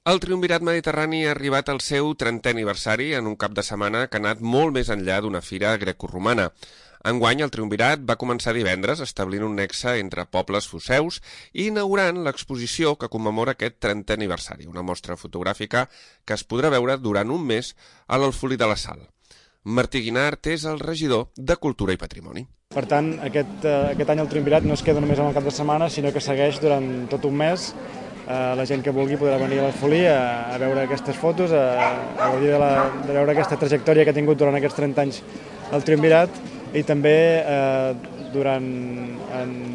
El Triumvirat Mediterrani ha arribat al seu 30è aniversari en un cap de setmana que ha anat molt més enllà d'una fira grecorromana. Enguany, el Triumvirat va començar divendres establint un nexe entre pobles foceus i inaugurant l'exposició que commemora aquest 30è aniversari, una mostra fotogràfica que es podrà veure durant un mes a l'Alfolí de la Sal. Martí Guinart és el regidor de Cultura i Patrimoni. Per tant, aquest any el Triumvirat no es queda només amb el cap de setmana, sinó que segueix durant tot un mes. La gent que vulgui podrà venir a l'Alfolí a veure aquestes fotos, a gaudir de veure aquesta trajectòria que ha tingut durant aquests 30 anys el Triumvirat, i també en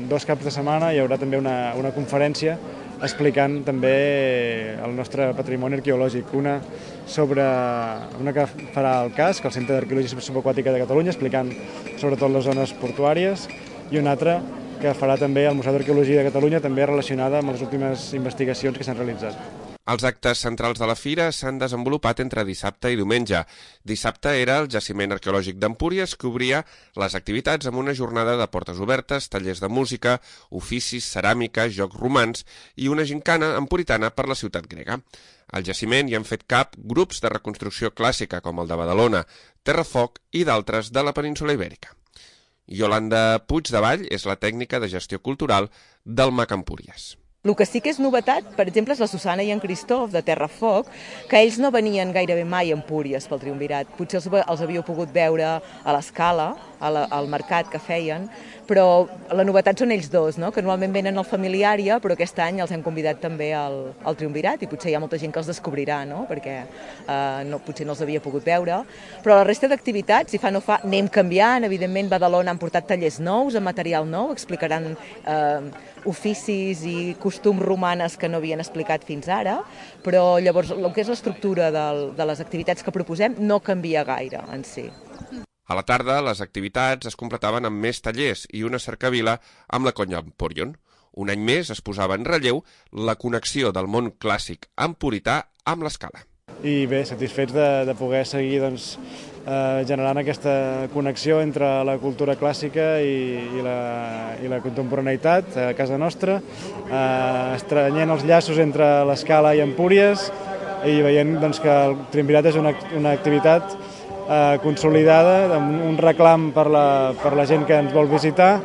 2 caps de setmana hi haurà també una conferència explicant també el nostre patrimoni arqueològic, una que farà el CASC, el Centre d'Arqueologia Subaquàtica de Catalunya, explicant sobretot les zones portuàries, i una altra que farà també el Museu d'Arqueologia de Catalunya, també relacionada amb les últimes investigacions que s'han realitzat. Els actes centrals de la fira s'han desenvolupat entre dissabte i diumenge. Dissabte era el Jaciment Arqueològic d'Empúries, que obria les activitats amb una jornada de portes obertes, tallers de música, oficis, ceràmica, jocs romans i una gincana empuritana per la ciutat grega. Al jaciment hi han fet cap grups de reconstrucció clàssica, com el de Badalona, Terrafoc i d'altres de la península Ibèrica. Iolanda Puigdevall és la tècnica de gestió cultural del MAC Empúries. El que sí que és novetat, per exemple, és la Susana i en Cristof de Terrafoc, que ells no venien gairebé mai a Empúries pel Triumvirat. Potser els havíeu pogut veure a l'Escala, al mercat que feien, però la novetat són ells dos, no? Que normalment venen al Familiària, però aquest any els hem convidat també al Triumvirat i potser hi ha molta gent que els descobrirà, no? Perquè potser no els havia pogut veure. Però la resta d'activitats, si fa no fa, anem canviant. Evidentment, Badalona han portat tallers nous, amb material nou, explicaran oficis i costums romanes que no havien explicat fins ara, però llavors el que és l'estructura de les activitats que proposem no canvia gaire en si. A la tarda, les activitats es completaven amb més tallers i una cercavila amb la Conya Emporion. Un any més es posava en relleu la connexió del món clàssic empurità amb l'Escala. I bé, satisfets de poder seguir generant aquesta connexió entre la cultura clàssica i la contemporaneïtat a casa nostra, estrenyent els llaços entre l'Escala i Empúries i veient que el Triumvirat és una activitat consolidada, amb un reclam per la gent que ens vol visitar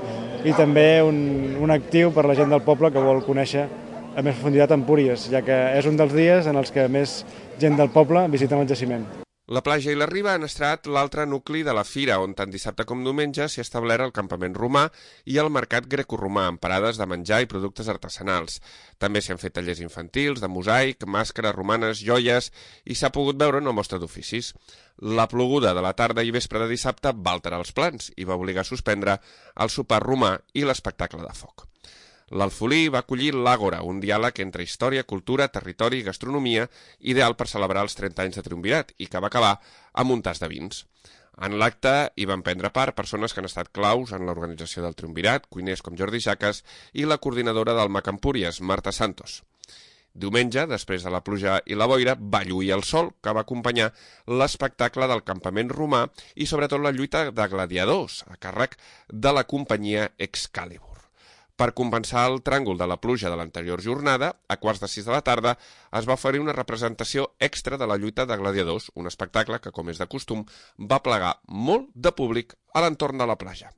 i també un actiu per la gent del poble que vol conèixer a més profunditat Empúries, ja que és un dels dies en els que més gent del poble visiten el jaciment. La platja i la riba han estat l'altre nucli de la fira, on tant dissabte com diumenge s'hi ha establert el campament romà i el mercat grecoromà, amb parades de menjar i productes artesanals. També s'hi han fet tallers infantils, de mosaic, màscares romanes, joies, i s'ha pogut veure una mostra d'oficis. La ploguda de la tarda i vespre de dissabte va alterar els plans i va obligar a suspendre el sopar romà i l'espectacle de foc. L'Alfolí va acollir l'Àgora, un diàleg entre història, cultura, territori i gastronomia, ideal per celebrar els 30 anys de Triumvirat i que va acabar amb un tas de vins. En l'acte hi van prendre part persones que han estat claus en l'organització del Triumvirat, cuiners com Jordi Jaques i la coordinadora del MAC Empúries, Marta Santos. Diumenge, després de la pluja i la boira, va lluir el sol, que va acompanyar l'espectacle del campament romà i sobretot la lluita de gladiadors, a càrrec de la companyia Excalibur. Per compensar el tràngol de la pluja de l'anterior jornada, a 5:45 de la tarda es va oferir una representació extra de la lluita de gladiadors, un espectacle que, com és de costum, va plegar molt de públic a l'entorn de la platja.